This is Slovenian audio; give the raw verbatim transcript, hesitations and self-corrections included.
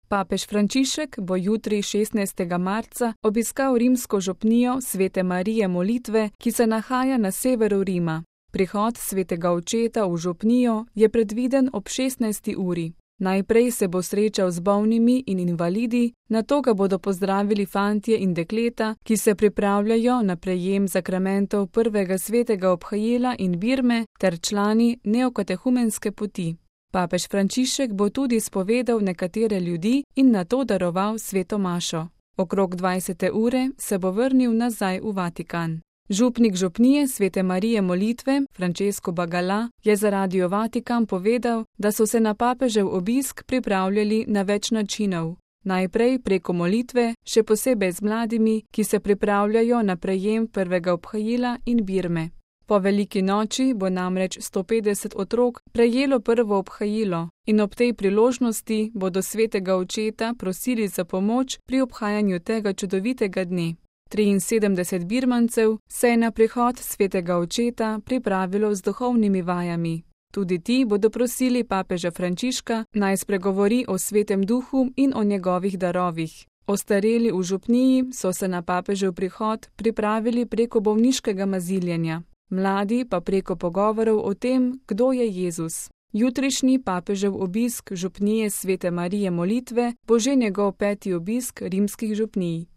Papež Frančišek bo jutri šestnajstega marca obiskal rimsko župnijo Svete Marije Molitve, ki se nahaja na severu Rima. Prihod svetega očeta v župnijo je predviden ob šestnajsti uri. Najprej se bo srečal z bolnimi in invalidi, nato ga bodo pozdravili fantje in dekleta, ki se pripravljajo na prejem zakramentov prvega svetega obhajila in birme ter člani neokatehumenske poti. Papež Frančišek bo tudi spovedal nekatere ljudi in nato daroval sveto mašo. Okrog dvajsete ure se bo vrnil nazaj v Vatikan. Župnik župnije Svete Marije Molitve, Francesco Bagala, je za Radio Vatikan povedal, da so se na papežev obisk pripravljali na več načinov. Najprej preko molitve, še posebej z mladimi, ki se pripravljajo na prejem prvega obhajila in birme. Po veliki noči bo namreč sto petdeset otrok prejelo prvo obhajilo in ob tej priložnosti bodo svetega očeta prosili za pomoč pri obhajanju tega čudovitega dne. triinsedemdeset birmancev se je na prihod svetega očeta pripravilo z duhovnimi vajami. Tudi ti bodo prosili papeža Frančiška, naj spregovori o svetem duhu in o njegovih darovih. Ostareli v župniji so se na papežev prihod pripravili preko bolniškega maziljenja, mladi pa preko pogovorov o tem, kdo je Jezus. Jutrišnji papežev obisk župnije Svete Marije Molitve bo že njegov peti obisk rimskih župnij.